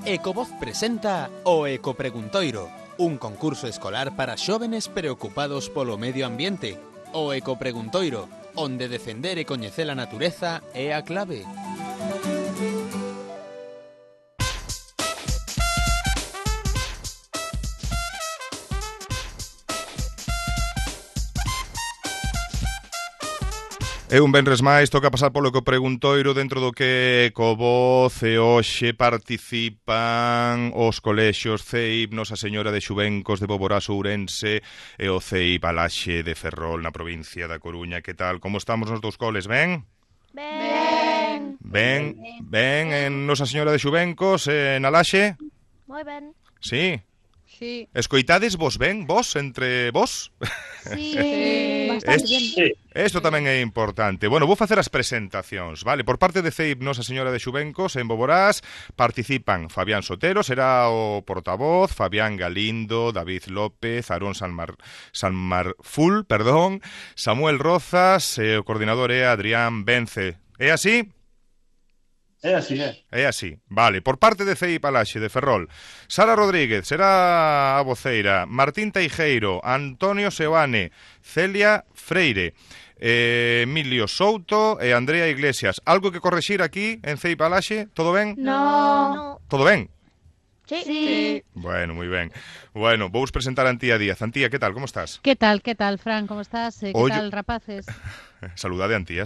Ecovoz presenta o Ecopreguntoiro, un concurso escolar para xóvenes preocupados polo medio ambiente. O Ecopreguntoiro, onde defender e coñecer a natureza é a clave. E un venres máis toca pasar polo Ecopreguntoiro dentro do que Ecovoz e hoxe participan os colexios CEIP Nosa Señora de Xubencos de Boborás, Ourense e o CEIP Alaxe de Ferrol na provincia da Coruña. Que tal? Como estamos nos dous coles? Ben? Ben en Nosa Señora de Xubencos e en Alaxe? Moi ben. Sí? Sí. Escoitades vos ben? Vos? Entre vos? Sí, bastante bien. Isto tamén é importante. Bueno, vou facer as presentacións, vale? Por parte de CEIP Nosa Señora de Xubencos en Boborás participan Fabián Sotero, será o portavoz, Fabián Galindo, David López, Aarón Sanmarful, Samuel Rozas e o coordinador é Adrián Vence. É así? É así, é. É así, vale. Por parte de CEIP Alaxe de Ferrol, Sara Rodríguez será a voceira, Martín Teijeiro, Antonio Seoane, Celia Freire, Emilio Souto e Andrea Iglesias. Algo que correxir aquí en CEIP Alaxe? Todo ben? No. Todo ben? Sí. Bueno, moi ben. Bueno, vou presentar a Antía Díaz. Antía, que tal? Como estás? ¿Qué tal, Fran? ¿Cómo estás? ¿Qué tal, rapaces? Saludade a Antía.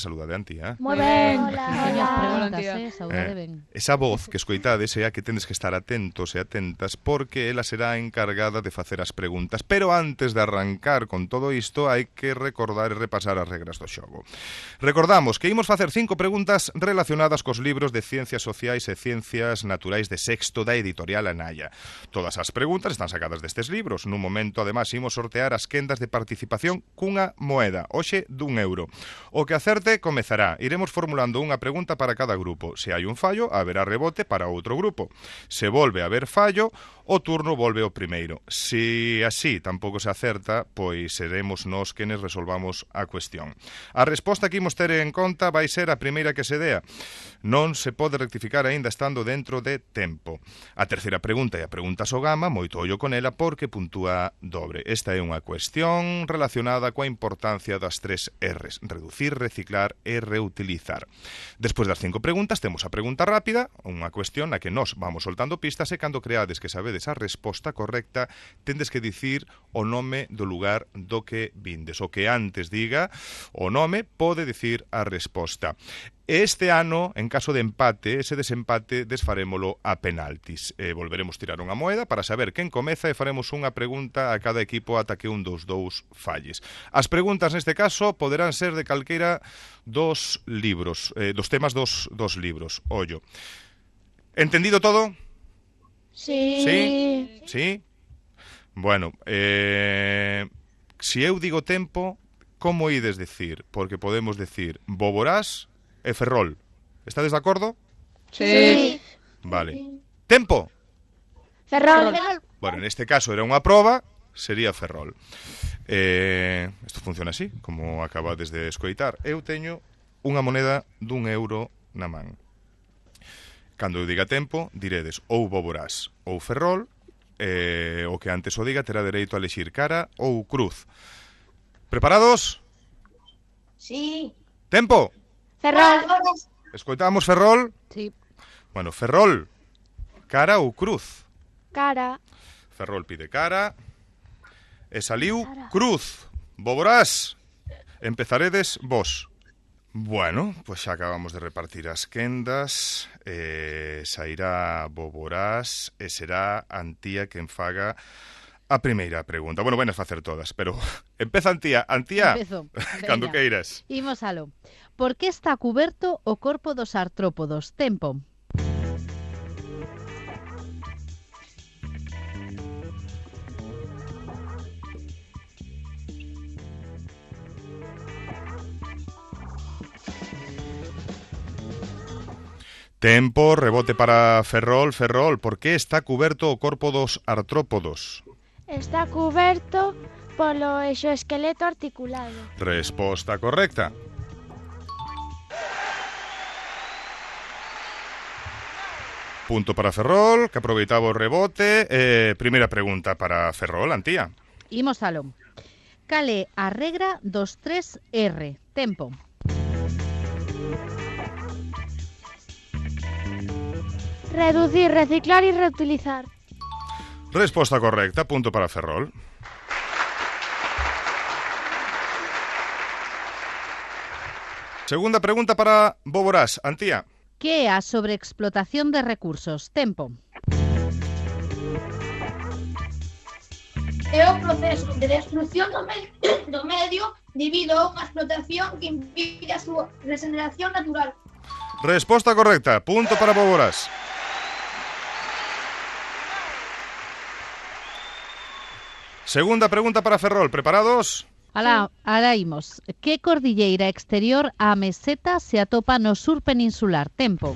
Moi ben. Hola. Saudade ben. Esa voz que escoitades é a que tendes que estar atentos e atentas porque ela será encargada de facer as preguntas. Pero antes de arrancar con todo isto hai que recordar e repasar as regras do xogo. Recordamos que imos facer 5 preguntas relacionadas cos libros de Ciencias Sociais e Ciencias Naturais de sexto da editorial Anaya. Todas as preguntas están sacadas destes libros. Nun momento, además, imos sortear as quendas de participación cunha moeda, hoxe d'1 euro. O que acerte comezará. Iremos formulando unha pregunta para cada grupo. Se hai un fallo, haberá rebote para outro grupo. Se volve a haber fallo, o turno volve ao primeiro. Se así tampouco se acerta, pois seremos nós quenes resolvamos a cuestión. A resposta que imos ter en conta vai ser a primeira que se dea. Non se pode rectificar aínda estando dentro de tempo. A terceira pregunta é a pregunta Sogama, moito ollo con ela porque puntúa dobre. Esta é unha cuestión relacionada coa importancia das 3 R's: reducir, reciclar e reutilizar. Despois das 5 preguntas temos a pregunta rápida, unha cuestión na que nós vamos soltando pistas e cando creades que sabedes a resposta correcta tendes que dicir o nome do lugar do que vindes. O que antes diga o nome pode dicir a resposta. Este ano, en caso de empate, ese desempate desfarémolo a penaltis. Volveremos tirar unha moeda para saber quen comeza e faremos unha pregunta a cada equipo ata que un dos dous falles. As preguntas neste caso poderán ser de calqueira dos libros, dos temas dos libros. Ollo. Entendido todo? Sí. Sí? Bueno, se eu digo tempo, como ides dicir? Porque podemos dicir Boborás e Ferrol. Estades de acordo? Sí. Vale. Tempo? Ferrol. Bueno, neste caso era unha proba, sería Ferrol. Isto funciona así, como acabades de escoitar. Eu teño unha moneda d'1 euro na man. Cando eu diga tempo, diredes ou Boborás ou Ferrol, o que antes o diga terá dereito a elexir cara ou cruz. Preparados? Sí. Tempo? Ferrol. Escoitamos Ferrol? Sí. Bueno, Ferrol, cara ou cruz? Cara. Ferrol pide cara e saliu cruz. Boborás, empezaredes vos. Bueno, pois xa acabamos de repartir as quendas, sairá Boborás e será Antía quen faga a primeira pregunta. Bueno, venas facer todas, pero empeza Antía. Antía, Empezo. cando Veña. queiras. Imos alo. Por que está cuberto o corpo dos artrópodos? Tempo. Tempo, rebote para Ferrol. Ferrol, por que está cuberto o corpo dos artrópodos? Está cuberto polo exoesqueleto articulado. Resposta correcta. Punto para Ferrol, que aproveitaba o rebote. Primeira pregunta para Ferrol, Antía. Imos aló. Cal é a regra dos 3R? Tempo. Reducir, reciclar y reutilizar. Resposta correcta, punto para Ferrol. Segunda pregunta para Boborás, Antía. Que é a sobreexplotación de recursos? Tempo. É o proceso de destrucción do medio debido a unha explotación que impide a súa regeneración natural. Resposta correcta, punto para Boborás. Segunda pregunta para Ferrol, ¿preparados? Alá imos. Que cordilleira exterior á meseta se atopa no sur peninsular? Tempo.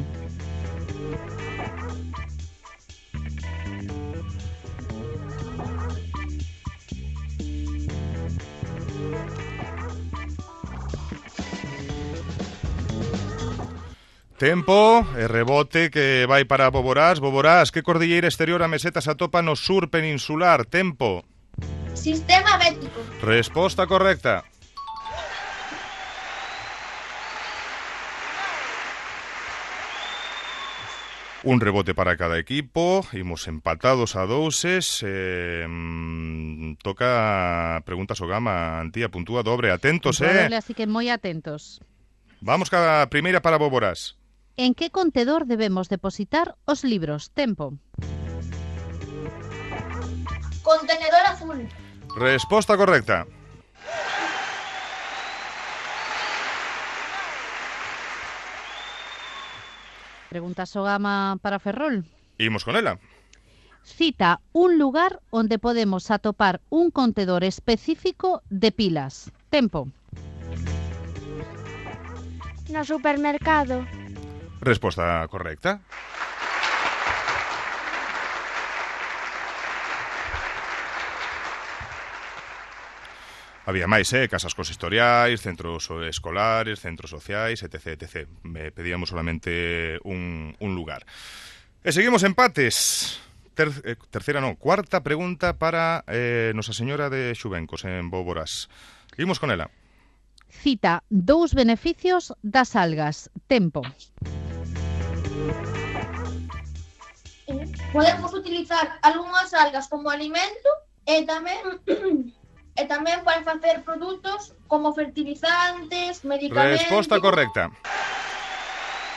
Tempo, e rebote que vai para Boborás. Boborás, que cordilleira exterior á meseta se atopa no sur peninsular? Tempo. Sistema bético. Resposta correcta. Un rebote para cada equipo. Imos empatados a 2. Toca preguntas o gama, Antía, puntúa dobre. Atentos, Doble, así que moi atentos. Vamos cada primeira para Boborás. En que contedor debemos depositar os libros? Tempo. Contenedor azul. Resposta correcta. Preguntas o gama para Ferrol. Imos con ela. Cita un lugar onde podemos atopar un contedor específico de pilas. Tempo. No supermercado. Resposta correcta. Había máis, casas consistoriais, centros escolares, centros sociais, etc, etc. Pedíamos solamente un lugar. E seguimos empates. Cuarta pregunta para Nosa Señora de Xubencos en Boborás. Imos con ela. Cita 2 beneficios das algas. Tempo. Podemos utilizar algunhas algas como alimento e tamén para facer produtos como fertilizantes, medicamentos... Resposta correcta.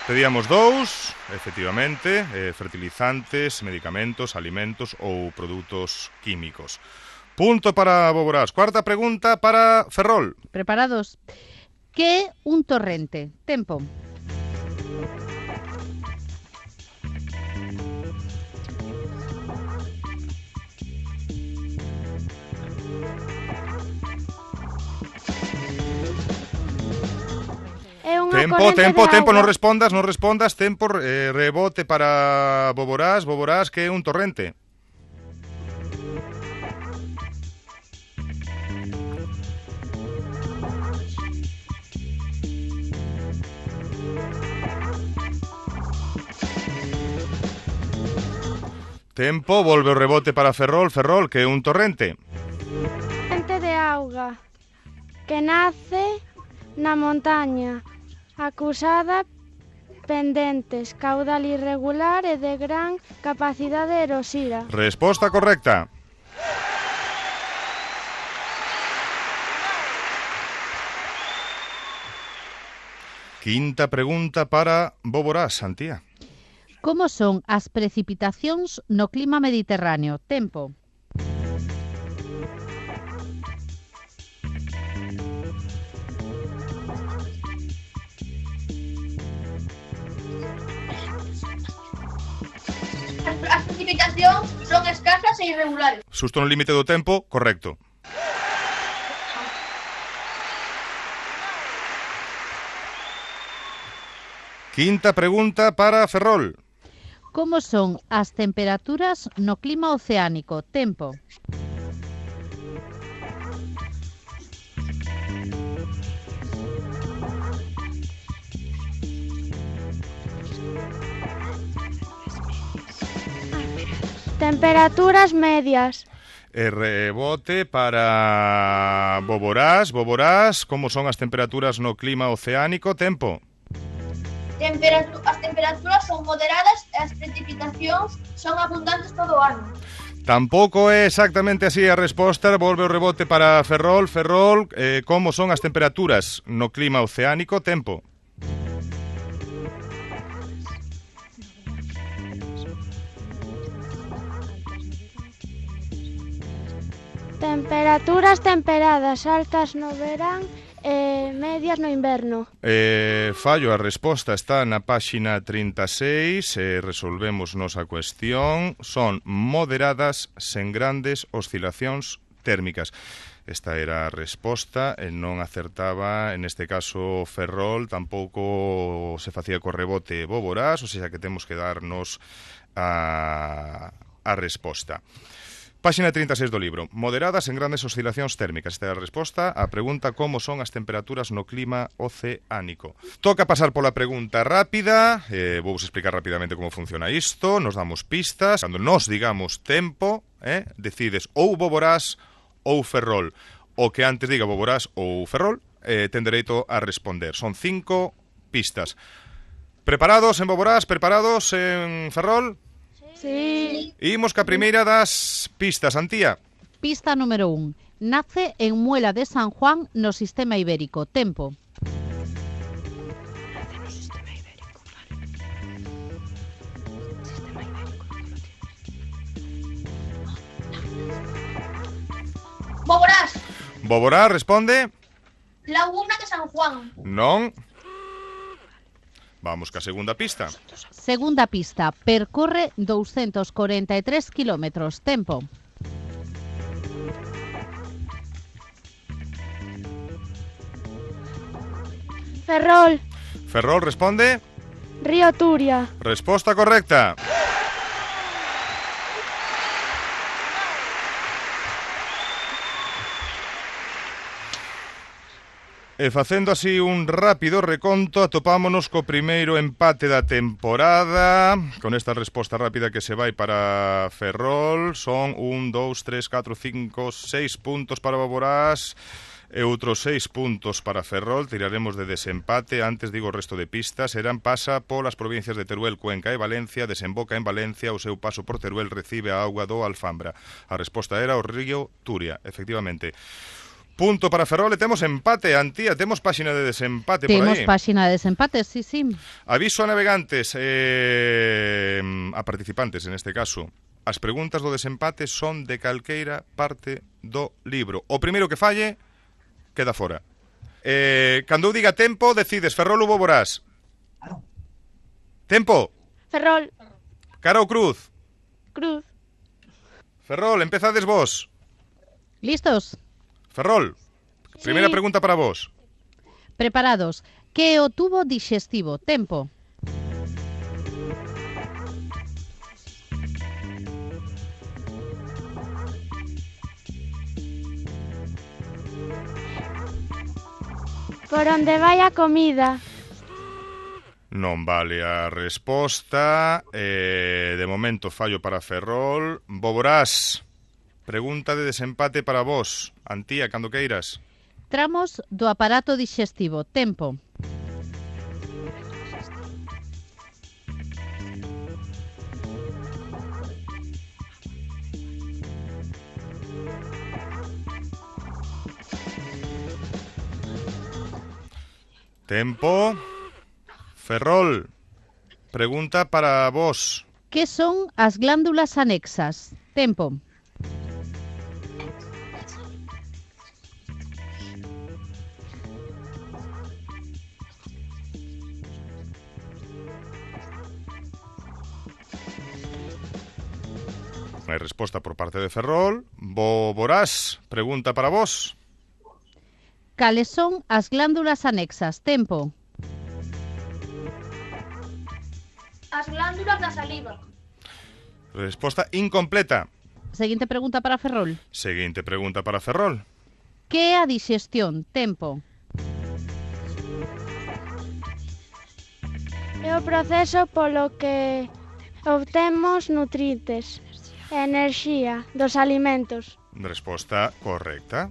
Pedíamos 2, efectivamente, fertilizantes, medicamentos, alimentos ou produtos químicos. Punto para Boborás. Cuarta pregunta para Ferrol. Preparados. Que é un torrente? Tempo. Tempo, non respondas, tempo, rebote para Boborás, que é un torrente. Tempo, volve o rebote para Ferrol, que é un torrente. Torrente de auga que nace na montaña, acusada, pendentes, caudal irregular e de gran capacidade erosiva. Resposta correcta. Quinta pregunta para Boborás, Antía. Como son as precipitacións no clima mediterráneo? Tempo. As precipitacións son escasas e irregulares. Xusto no límite do tempo, correcto. Quinta pregunta para Ferrol. Como son as temperaturas no clima oceánico? Tempo. Temperaturas medias. E rebote para Boborás. Boborás, como son as temperaturas no clima oceánico? Tempo. As temperaturas son moderadas e as precipitacións son abundantes todo o ano. Tampouco é exactamente así a resposta. Volve o rebote para Ferrol. Ferrol, como son as temperaturas no clima oceánico? Tempo. Temperaturas temperadas, altas no verán e medias no inverno. Fallo, a resposta está na páxina 36, resolvemos nosa cuestión. Son moderadas sen grandes oscilacións térmicas. Esta era a resposta, e non acertaba, en este caso, Ferrol, tampouco se facía co rebote Boborás, ou seja que temos que darnos a resposta. Páxina 36 do libro. Moderadas en grandes oscilacións térmicas. Esta é a resposta á pregunta como son as temperaturas no clima oceánico. Toca pasar pola pregunta rápida. Vou explicar rapidamente como funciona isto. Nos damos pistas. Cando nos digamos tempo, decides ou Boborás ou Ferrol. O que antes diga Boborás ou Ferrol, ten dereito a responder. Son 5 pistas. Preparados en Boborás? Preparados en Ferrol? Sí. Imos ca primeira das pistas, Antía. Pista número 1. Nace en Muela de San Juan, no sistema ibérico. Tempo. Boborás, Boborás responde. Laguna de San Juan. Non. Vamos ca segunda pista. Segunda pista. Percorre 243 kilómetros. Tempo. Ferrol, Ferrol responde. Río Turia. Resposta correcta. E facendo así un rápido reconto, atopámonos co primeiro empate da temporada. Con esta resposta rápida que se vai para Ferrol, son 1, 2, 3, 4, 5, 6 puntos para Boborás e outros 6 puntos para Ferrol. Tiraremos de desempate. Antes digo o resto de pistas. Pasa polas provincias de Teruel, Cuenca e Valencia, desemboca en Valencia, o seu paso por Teruel recibe a auga do Alfambra. A resposta era o río Turia, efectivamente. Punto para Ferrol e temos empate, Antía, temos páxina de desempate por aí. Temos páxina de desempate, sí. Aviso a navegantes, a participantes en este caso. As preguntas do desempate son de calqueira parte do libro. O primeiro que falle, queda fora. Cando eu diga tempo, decides Ferrol ou Boborás. Tempo. Ferrol, Cara ou cruz? Cruz. Ferrol, empezades vos. Listos? Ferrol, primeira Sí. pregunta para vos. Preparados. Que é o tubo dixestivo? Tempo. Por onde vai a comida. Non vale a resposta. De momento fallo para Ferrol. Boborás, pregunta de desempate para vos. Antía, cando queiras. Tramos do aparato dixestivo. Tempo. Tempo. Ferrol, pregunta para vos. Que son as glándulas anexas? Tempo. Hai resposta por parte de Ferrol. Boborás, pregunta para vos. Cales son as glándulas anexas? Tempo. As glándulas da saliva. Resposta incompleta. Seguinte pregunta para Ferrol. Seguinte pregunta para Ferrol. Que é a dixestión? Tempo. É o proceso polo que obtemos nutrientes. Enerxía dos alimentos. Resposta correcta.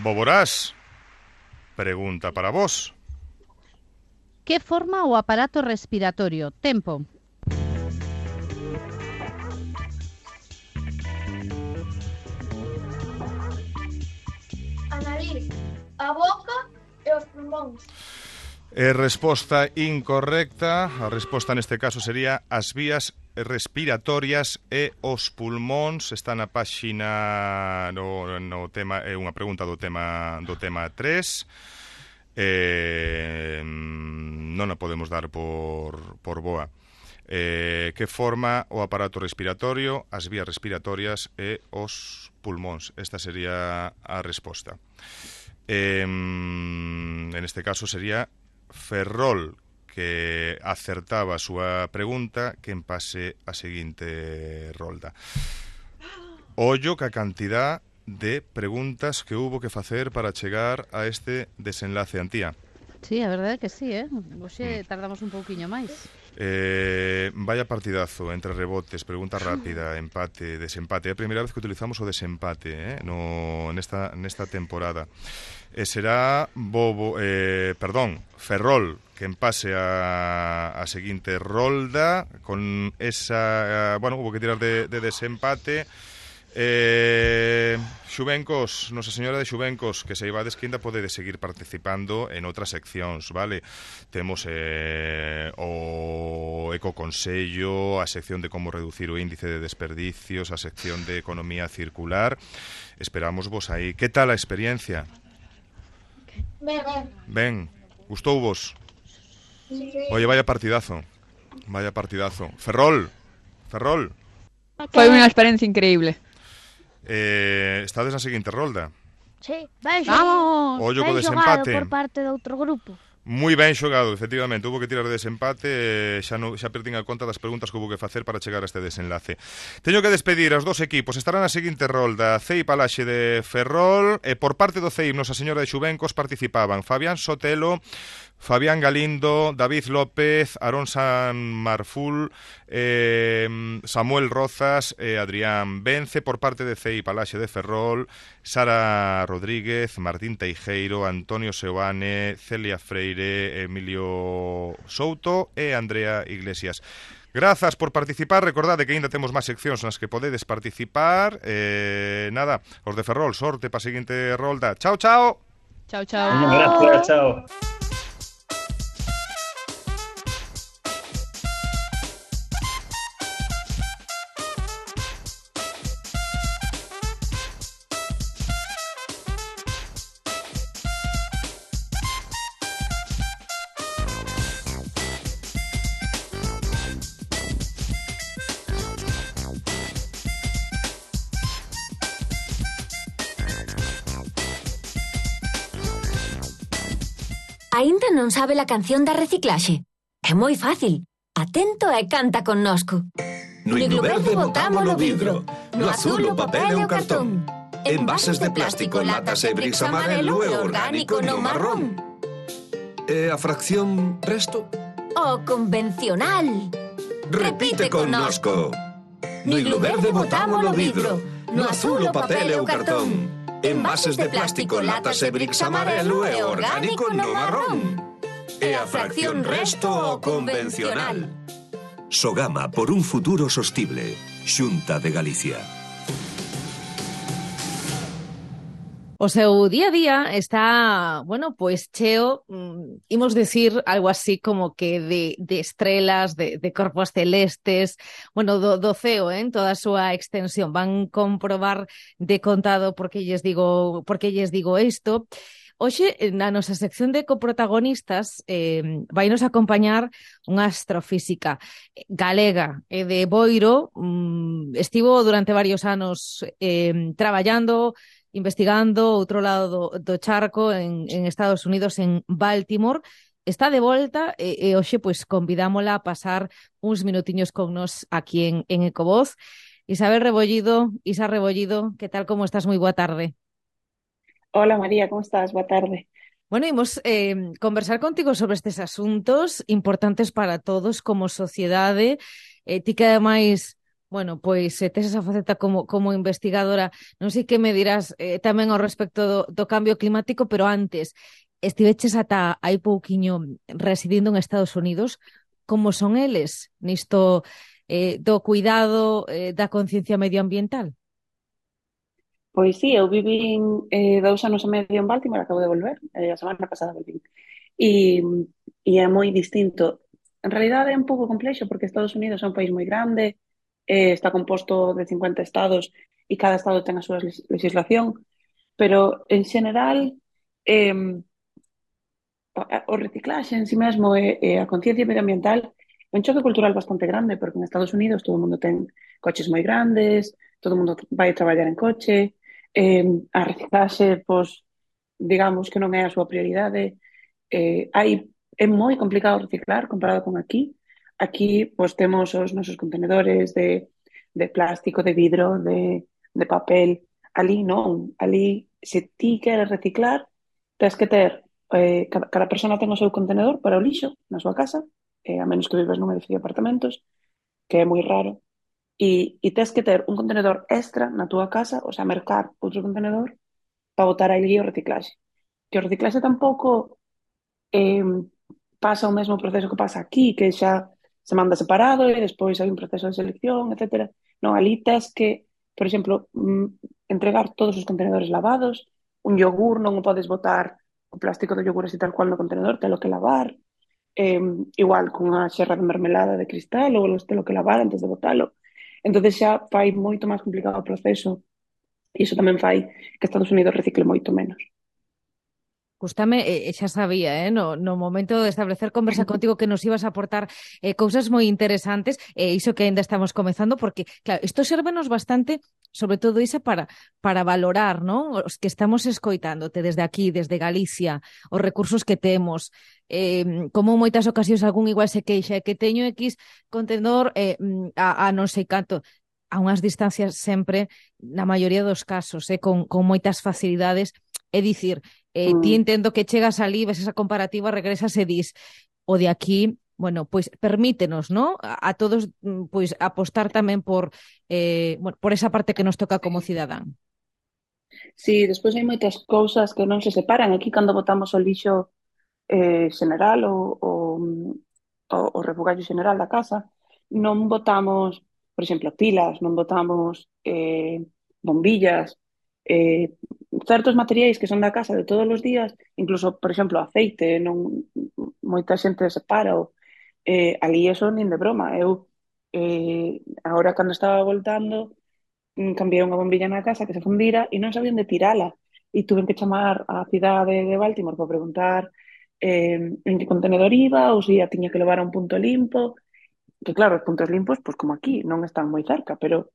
Boborás, pregunta para vos. Que forma o aparato respiratorio? Tempo. A nariz, a boca e os pulmóns. Resposta incorrecta. A resposta neste caso sería as vías respiratorias e os pulmóns. Está na páxina no tema, é unha pregunta do tema 3. Non a podemos dar por boa. Que forma o aparato respiratorio, as vías respiratorias e os pulmóns. Esta sería a resposta. En este caso sería Ferrol, que acertaba a súa pregunta, que pase a seguinte rolda. Ollo ca cantidad de preguntas que hubo que facer para chegar a este desenlace, Antía. Sí, a verdade que sí, Hoxe tardamos un pouquiño máis. Vaya partidazo entre rebotes, pregunta rápida, empate, desempate. É a primeira vez que utilizamos o desempate nesta temporada. Será Ferrol quen pase a seguinte rolda con esa... hubo que tirar de desempate. Xuvencos, Nosa Señora de Xuvencos, que se ibades que ainda podedes seguir participando en outras seccións, vale? Temos o ecoconsello, a sección de como reducir o índice de desperdicios, a sección de economía circular. Esperamos vos aí. Que tal a experiencia? Ben, gustou vos? Sí. Oye, vaya partidazo. Ferrol. Foi unha experiencia increíble. Estades na seguinte rolda. Sí, ben Vamos. Ollo co ben xogado desempate. por parte de outro grupo. Moi ben xogado, efectivamente. Hubo que tirar de desempate. Xa perdín a conta das preguntas que hubo que facer para chegar a este desenlace. Teño que despedir aos dos equipos. Estarán na seguinte rolda CEIP Alaxe de Ferrol. E por parte do CEIP Nosa Señora de Xuvencos participaban Fabián Sotelo, Fabián Galindo, David López, Aarón San Marful, Samuel Rozas e Adrián Vence. Por parte de CEIP Alaxe de Ferrol, Sara Rodríguez, Martín Teijeiro, Antonio Seoane, Celia Freire, Emilio Souto e Andrea Iglesias. Grazas por participar. Recordade que aínda temos máis seccións nas que podedes participar. Nada, os de Ferrol, sorte para a seguinte rolda. Chao, chao. Chao, chao. Gracias, chao. Aínda non sabe a canción da reciclaxe? É moi fácil. Atento e canta connosco. No himno verde botámolo vidro, no azul o papel e o cartón. Envases de plástico, latas e bricks amarelo e orgánico no marrón. E a fracción resto? O convencional. Repite connosco. No himno verde botámolo vidro, no azul o papel e o cartón. Envases de plástico, latas e bricks amarelo e orgánico no marrón. E a fracción resto o convencional. Sogama por un futuro sostible. Xunta de Galicia. O seu día a día está, pues cheo, imos decir algo así como que de estrelas, de corpos celestes, do ceo, en toda a súa extensión. Van comprobar de contado por que lles digo isto. Hoxe, na nosa sección de coprotagonistas, vai nos acompañar unha astrofísica galega de Boiro. Estivo durante varios anos traballando, investigando outro lado do charco en Estados Unidos, en Baltimore. Está de volta e hoxe convidámola a pasar uns minutiños con nos aquí en Ecovoz. Isa Rebollido, que tal, como estás? Moi boa tarde. Hola María, como estás? Boa tarde. Bueno, imos conversar contigo sobre estes asuntos importantes para todos como sociedade. Ti que ademais, bueno, pois tes esa faceta como investigadora, non sei que me dirás tamén ao respecto do cambio climático, pero antes, estiveches ata hai pouquiño residindo en Estados Unidos. Como son eles nisto do cuidado da conciencia medioambiental? Pois sí, eu vivín 2 anos e medio en Baltimore, acabo de volver, a semana pasada volvín. E é moi distinto. En realidade é un pouco complexo porque Estados Unidos é un país moi grande, está composto de 50 estados e cada estado ten a súa legislación, pero en xeral eh, o reciclaxe en si mesmo e a conciencia medioambiental é un choque cultural bastante grande porque en Estados Unidos todo o mundo ten coches moi grandes, todo o mundo vai traballar en coche, a reciclaxe, pois, digamos que non é a súa prioridade. É moi complicado reciclar comparado con aquí. Aquí, pois, temos os nosos contenedores de plástico, de vidro, de papel. Ali non. Ali, se ti queres reciclar, tens que ter, cada persona ten o seu contenedor para o lixo na súa casa, a menos que vives nun edificio de apartamentos, que é moi raro, e tens que ter un contenedor extra na túa casa, o sea, mercar outro contenedor para botar aí o reciclaxe. Que o reciclaxe tampouco eh, pasa o mesmo proceso que pasa aquí, que xa se manda separado e despois hai un proceso de selección, etcétera. Non, ali tes que, por exemplo, entregar todos os contenedores lavados, un yogur non o podes botar o plástico do yogur así tal cual no contenedor, telo que lavar, eh, igual con a xerra de mermelada de cristal ou telo que lavar antes de botalo. Entonces xa fai moito máis complicado o proceso e iso tamén fai que Estados Unidos recicle moito menos. Gústame, xa sabía, no momento de establecer conversa contigo que nos ibas a aportar cousas moi interesantes, iso que ainda estamos comezando, porque, claro, isto sérvenos bastante, sobre todo iso para valorar, non? Os que estamos escoitándote desde aquí, desde Galicia, os recursos que temos, como en moitas ocasións algún igual se queixa, que teño X contenedor a non sei canto, a unhas distancias sempre, na maioría dos casos, con moitas facilidades, é dicir, ti entendo que chegas ali, ves esa comparativa, regresas e dis, o de aquí, bueno, pois permítenos, ¿no? A todos pois apostar tamén por por esa parte que nos toca como cidadán. Sí, despois hai moitas cousas que non se separan. Aquí cando botamos o lixo xeneral o refugallo xeneral da casa, non botamos, por exemplo, pilas, non botamos bombillas, certos materiais que son da casa de todos os días, incluso, por exemplo, aceite, non moita xente separa o ali eso nin de broma. Eu agora cando estaba voltando cambiei unha bombilla na casa que se fundira e non sabían de tirala e tuve que chamar á cidade de Baltimore para preguntar en que contenedor iba ou se a tiña que levar a un punto limpo, que claro, os puntos limpos, pois como aquí, non están moi cerca, pero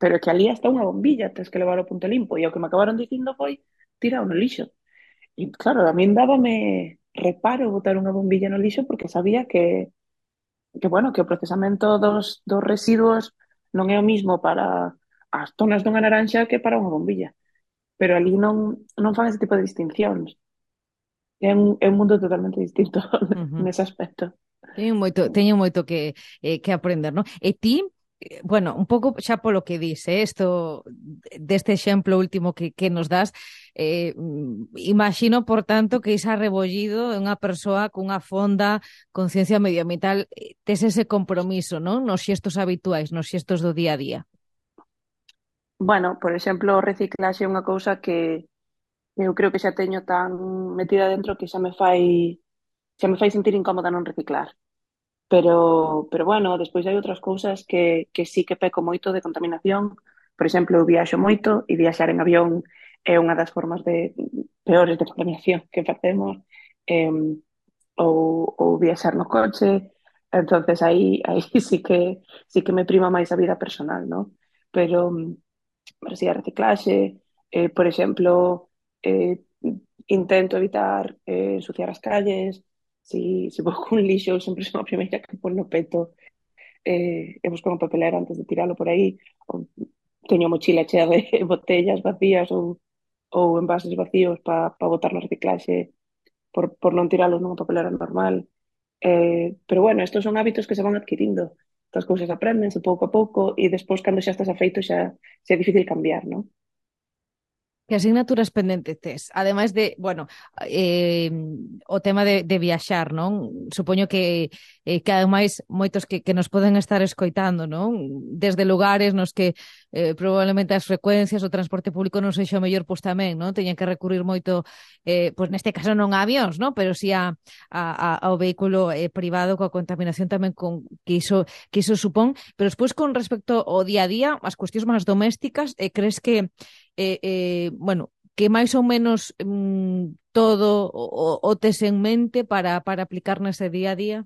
que ali hasta unha bombilla tens que levar ao punto limpo e o que me acabaron dicindo foi tirao no lixo. E claro, a min dábame reparo botar unha bombilla no lixo porque sabía que bueno, que o procesamento dos residuos non é o mismo para as tonas dunha naranxa que para unha bombilla. Pero ali non fan ese tipo de distincións. É un mundo totalmente distinto nese aspecto. Teño moito que aprender, non? E ti, bueno, un pouco xa polo que dice, isto deste exemplo último que nos das, imagino, por tanto, que isa rebollido é unha persoa cunha fonda conciencia medioambiental, tes ese compromiso, non? Nos xestos habituais, nos xestos do día a día. Bueno, por exemplo, o reciclaxe é unha cousa que eu creo que xa teño tan metida dentro que xa me fai sentir incómoda non reciclar. Pero bueno, despois hai outras cousas que sí que peco moito de contaminación. Por exemplo, eu viaxo moito e viaxar en avión é unha das formas peores de contaminación que facemos, ou viaxar no coche. Entonces aí sí que me prima máis a vida personal, ¿no? Pero si a reciclaxe, por exemplo, intento evitar ensuciar as calles. Si vou cun lixo, eu sempre son a primeira que pon no peto e busco unha papelera antes de tiralo por aí. Ou teño mochila chea de botellas vacías ou ou envases vacíos para botar no reciclaxe por non tiralos nunha papelera normal. Pero bueno, estos son hábitos que se van adquirindo. Estas cousas aprendense pouco a pouco e despois, cando xa estás afeito, xa é difícil cambiar, non? Que asignaturas pendentes tes? Ademais de, bueno, o tema de viaxar, non? Supoño que ademais moitos que nos poden estar escoitando, non? Desde lugares nos que probablemente as frecuencias, o transporte público non sexa o mellor, pois tamén, non? Teñen que recurrir moito, pois neste caso non a avións, non? Pero si ao vehículo privado, coa contaminación tamén que iso supón. Pero despois, con respecto ao día a día, as cuestións máis domésticas, crees que bueno, que máis ou menos todo o tes en mente para aplicar nese día a día?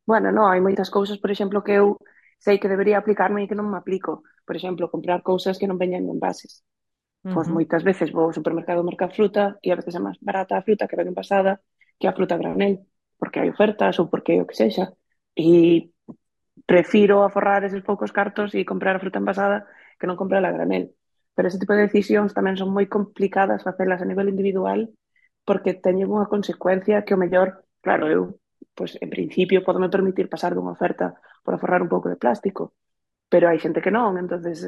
Bueno, non, hai moitas cousas, por exemplo, que eu sei que debería aplicarme e que non me aplico. Por exemplo, comprar cousas que non veñan en envases. Pois moitas veces vou ao supermercado a mercar fruta e a veces é máis barata a fruta que ven envasada que a fruta a granel, porque hai ofertas ou porque o que sexa. E prefiro aforrar eses poucos cartos e comprar a fruta envasada que non comprar a granel. Pero ese tipo de decisións tamén son moi complicadas facelas a nivel individual porque teñen unha consecuencia que o mellor, claro, eu, pois, en principio, podome permitir pasar dunha oferta por aforrar un pouco de plástico, pero hai xente que non, entonces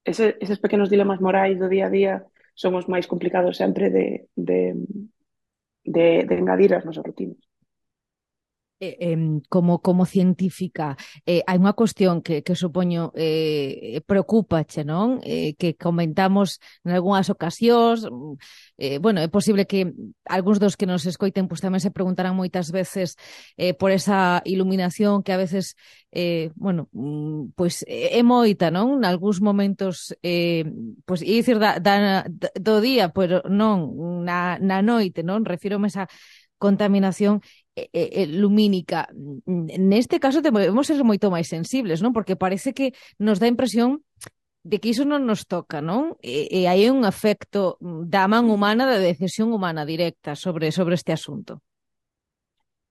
eses pequenos dilemas morais do día a día son os máis complicados sempre de engadir as nosas rutinas. Como científica, hai unha cuestión que supoño preocúpache, non? Que comentamos en algunhas ocasións. Bueno, é posible que algúns dos que nos escoiten pues, tamén se preguntarán moitas veces por esa iluminación que a veces, bueno, pois é moita, non? Nalgúns momentos, pois, ia dicir do día, pero non, na noite, non? Refírome a esa contaminación lumínica. Neste caso debemos ser moito máis sensibles, non? Porque parece que nos dá a impresión de que iso non nos toca, non? E hai un efecto da man humana, da decisión humana directa sobre este asunto.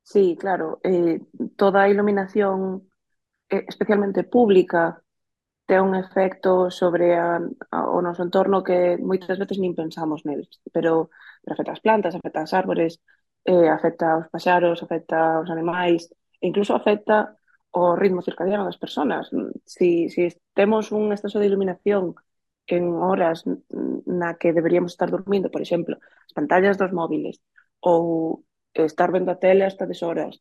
Sí, claro. Toda a iluminación, especialmente pública, ten un efecto sobre o noso entorno que moitas veces nin pensamos neles, pero afecta as plantas, afecta as árbores, afecta aos paxaros, afecta aos animais, e incluso afecta o ritmo circadiano das persoas. Si temos un exceso de iluminación en horas na que deberíamos estar dormindo, por exemplo, as pantallas dos móviles, ou estar vendo a tele hasta deshoras,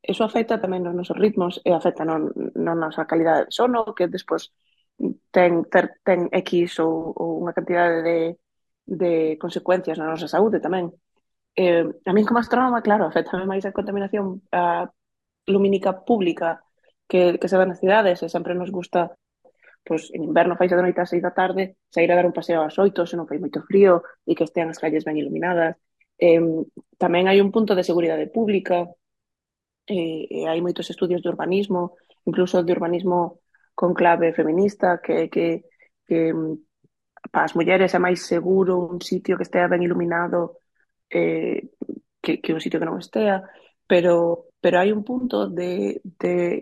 eso afecta tamén nos nosos ritmos e afecta non nosa calidade de sono, que despois ten X ou unha cantidade de consecuencias na nosa saúde tamén. A min como astrónoma, claro, afectame máis a contaminación lumínica pública que se ve nas cidades, e sempre nos gusta, pois, en inverno faise de noite ás 6 da tarde, sair a dar un paseo ás 8, se non fai moito frío, e que estean as calles ben iluminadas. Tamén hai un punto de seguridade pública, hai moitos estudios de urbanismo, incluso de urbanismo con clave feminista, que para as mulleres é máis seguro un sitio que estea ben iluminado que un sitio que non estea, pero hai un punto de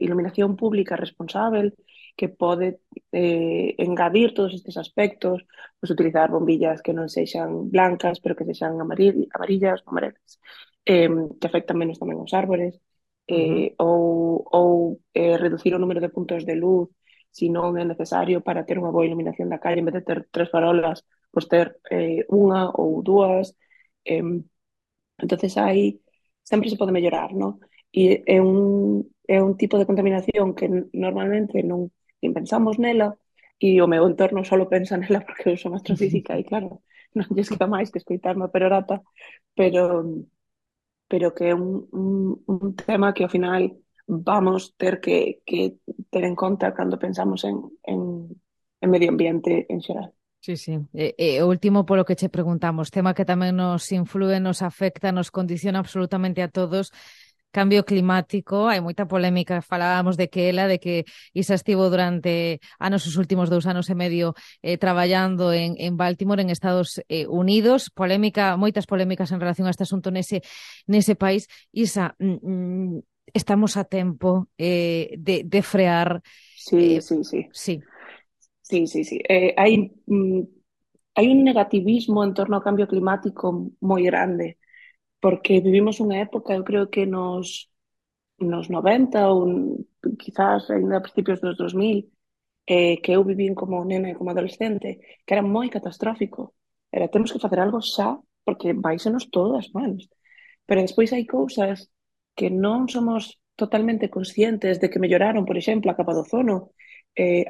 iluminación pública responsável que pode engadir todos estes aspectos, pues utilizar bombillas que non sexan blancas, pero que sexan amarillas, amarelas, que afectan menos tamén aos árbores, ou reducir o número de puntos de luz si non é necesario para ter unha boa iluminación da calle, en vez de ter 3 farolas, pois ter unha ou dúas. Entonces aí sempre se pode mellorar, non? E é un tipo de contaminación que normalmente non pensamos nela, e o meu entorno só pensa nela porque eu son astrofísica e claro, non lles queda máis que escoitarme a perorata, pero que é un tema que ao final vamos ter que ter en conta cando pensamos en medio ambiente en xeral. Sí, sí. O último polo que che preguntamos, tema que tamén nos influe, nos afecta, nos condiciona absolutamente a todos, cambio climático. Hai moita polémica, falábamos de que Isa estivo durante os últimos 2 anos e medio traballando en Baltimore, en Estados Unidos. Moitas polémicas en relación a este asunto nese país. Isa, estamos a tempo de frear. Sí. Sí. Hai hai un negativismo en torno ao cambio climático moi grande, porque vivimos unha época, eu creo que nos 90 ou quizás ainda a principios dos 2000, que eu vivín como nena e como adolescente, que era moi catastrófico. Era, temos que facer algo xa, porque váisenos todo as mans. Pero despois hai cousas que non somos totalmente conscientes de que melloraron, por exemplo, a capa do ozono,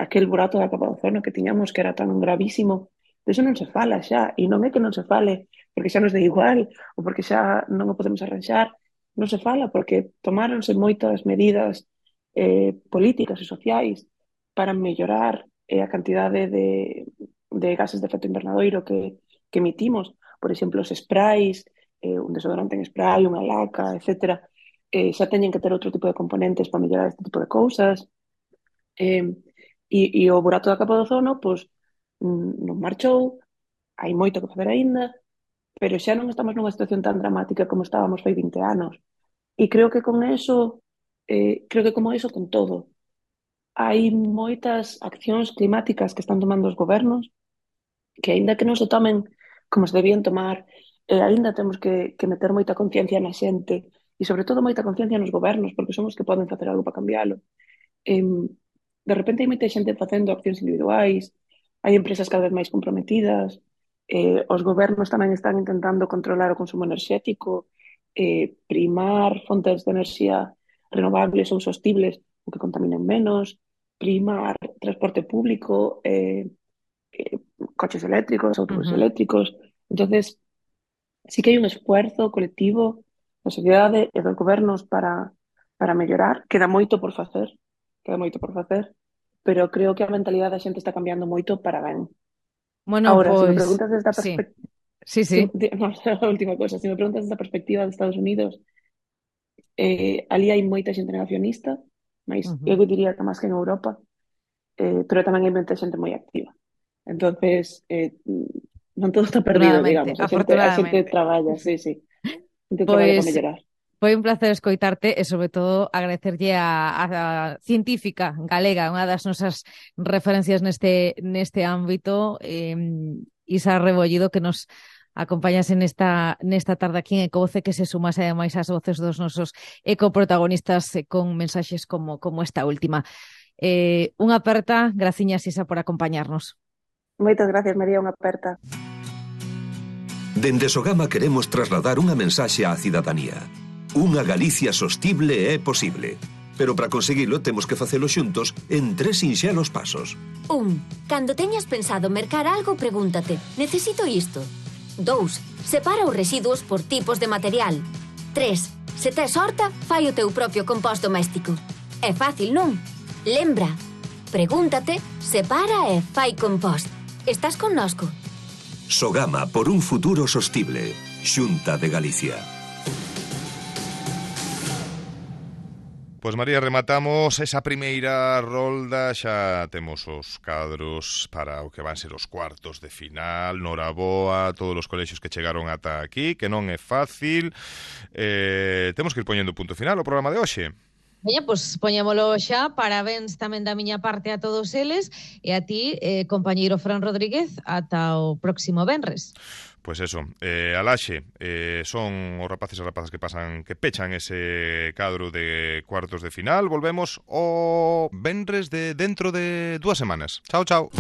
aquel burato da capa do ozono que tiñamos que era tan gravísimo. De iso non se fala xa, e non é que non se fale porque xa nos dé igual ou porque xa non o podemos arranxar, non se fala porque tomáronse moitas medidas políticas e sociais para mellorar a cantidade de gases de efecto invernadoiro que emitimos. Por exemplo, os sprays, un desodorante en spray, unha laca, etc. Xa teñen que ter outro tipo de componentes para mellorar este tipo de cousas. E o burato da capa do ozono, pois, non marchou, hai moito que facer aínda, pero xa non estamos nunha situación tan dramática como estábamos fai 20 anos. E creo que con eso, creo que como eso con todo, hai moitas accións climáticas que están tomando os gobernos que aínda que non se tomen como se debían tomar, aínda temos que meter moita conciencia na xente e sobre todo moita conciencia nos gobernos porque son os que poden facer algo para cambiálo. De repente hai moita xente facendo accións individuais, hai empresas cada vez máis comprometidas, os gobernos tamén están intentando controlar o consumo enerxético, primar fontes de enerxía renovables ou sostibles o que contaminen menos, primar transporte público, coches eléctricos, autobuses eléctricos. Entonces, sí que hai un esfuerzo colectivo da sociedade e dos gobernos para mellorar. Queda moito por facer, pero creo que a mentalidade da xente está cambiando moito para ben. Bueno, ahora, pues, se me preguntas desde a perspectiva... Sí. No, a última cosa, se me preguntas desde a perspectiva de Estados Unidos, ali hai moita xente negacionista, mas eu diría que máis que en Europa, pero tamén hai moita xente moi activa. Entonces, non todo está perdido, digamos. A xente traballa, sí. A xente traballa para mellorar. Foi un placer escoitarte e, sobre todo, agradecerlle a científica galega, unha das nosas referencias neste ámbito, Isa Rebollido, que nos acompañase nesta tarde aquí en Ecovoce, que se sumase ademais ás voces dos nosos ecoprotagonistas con mensaxes como esta última. Unha aperta, graciñas, Isa, por acompañarnos. Moitas gracias, María, unha aperta. Dende Sogama queremos trasladar unha mensaxe á cidadanía. Unha Galicia sostible é posible. Pero para conseguilo temos que facelo xuntos en 3 sinxelos pasos. 1. Cando teñas pensado mercar algo, pregúntate: necesito isto? 2. Separa os residuos por tipos de material. 3. Se tes horta, fai o teu propio compost doméstico. É fácil, non? Lembra, pregúntate, separa e fai compost. Estás connosco? Sogama por un futuro sostible. Xunta de Galicia. Pois María, rematamos esa primeira rolda, xa temos os cadros para o que van ser os cuartos de final, noraboa, todos os colexios que chegaron ata aquí, que non é fácil. Temos que ir poñendo punto final ao programa de hoxe. Veña, pois poñémolo xa, parabéns tamén da miña parte a todos eles e a ti, compañeiro Fran Rodríguez, ata o próximo venres. Pois eso, Alaxe, son os rapaces e rapazas que pechan ese cadro de cuartos de final. Volvemos o venres de dentro de 2 semanas. Chao, chao.